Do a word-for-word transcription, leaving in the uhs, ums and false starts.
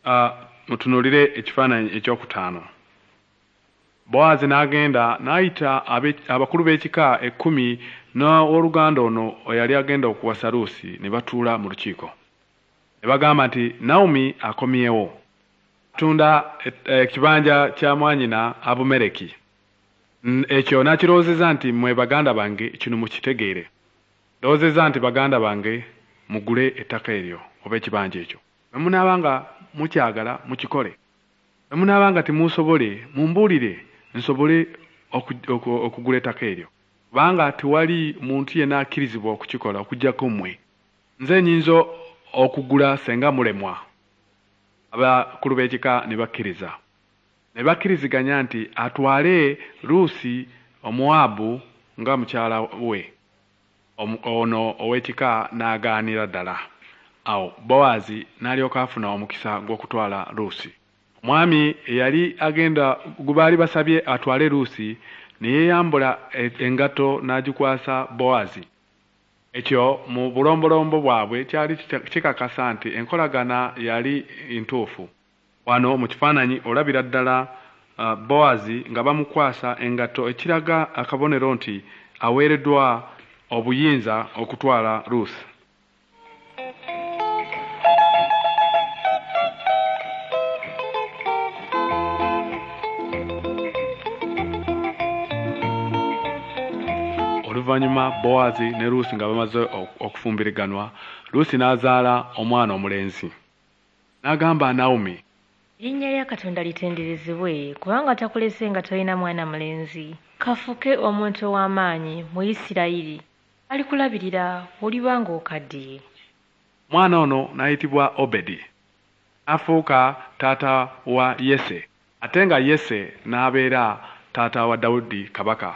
Uh, mutunuulire ekifaananyi ekyokutaano. Bowaazi n'agenda n'ayita abakulu b'ekika ekkumi n'owooluganda ono eyali agenda okuwasa Luusi ne batuula mu lukiiko. Ne bagamba nti Nawomi akomyewo. Atunda ekibanja kya mwannyina Abumereki. Ekyo n'akirowoozezza nti mmwe baganda bange kino mukitegeere. Ndowoozezza nti baganda bange mugule ettaka eryo oba ekibanja ekyo. Bwe munaaba nga mukyagala mukikole. Bwe munaaba nga temuusobole mumbuulire nsobole okugula ettaka eryo. Kubanga tewali muntu yenna akkirizibwa okukikola okuggyako mmwe. Nze nnyinza okugula senga mulemwa. Abakulu b'ekika ne bakkiriza. Ne bakkiriziganya nti atwale Luusi Omuwaabu nga mukyala we. Ono ow'ekika n'agaanira ddala. Awo Bowaazi n'alyoka afuna omukisa gw'okutwala Luusi. Omwami eyali agenda gwe baali basabye atwale Luusi ne yeeyambula engatto n'agikwasa Bowaazi. Ekyo mu bulombolombo bwabwe kyali kikakasa nti enkolagana yali ntuufu. Wano mu kifaananyi olabira ddala Bowaazi nga bamukwasa engatto ekiraga akabonero nti aweereddwa obuyinza okutwala Ruth. Oluvannyuma Bowaazi ne Ruusi nga bamaze okufumbiriganwa, Ruusi n'azaala omwana omulenzi. N'agamba Nawomi, Erinnya lya Katonda litenderezebwe, kubanga takulese nga tolina mwana mulenzi. K'afuuke omuntu ow'amaanyi mu Isirayiri. Alikulabirira bw'oliba ng'okaddiye. Omwana ono n'ayitibwa Obedi, n'afuuka taata wa Yese, ate nga Yese n'abeera taata wa Dawudi kabaka.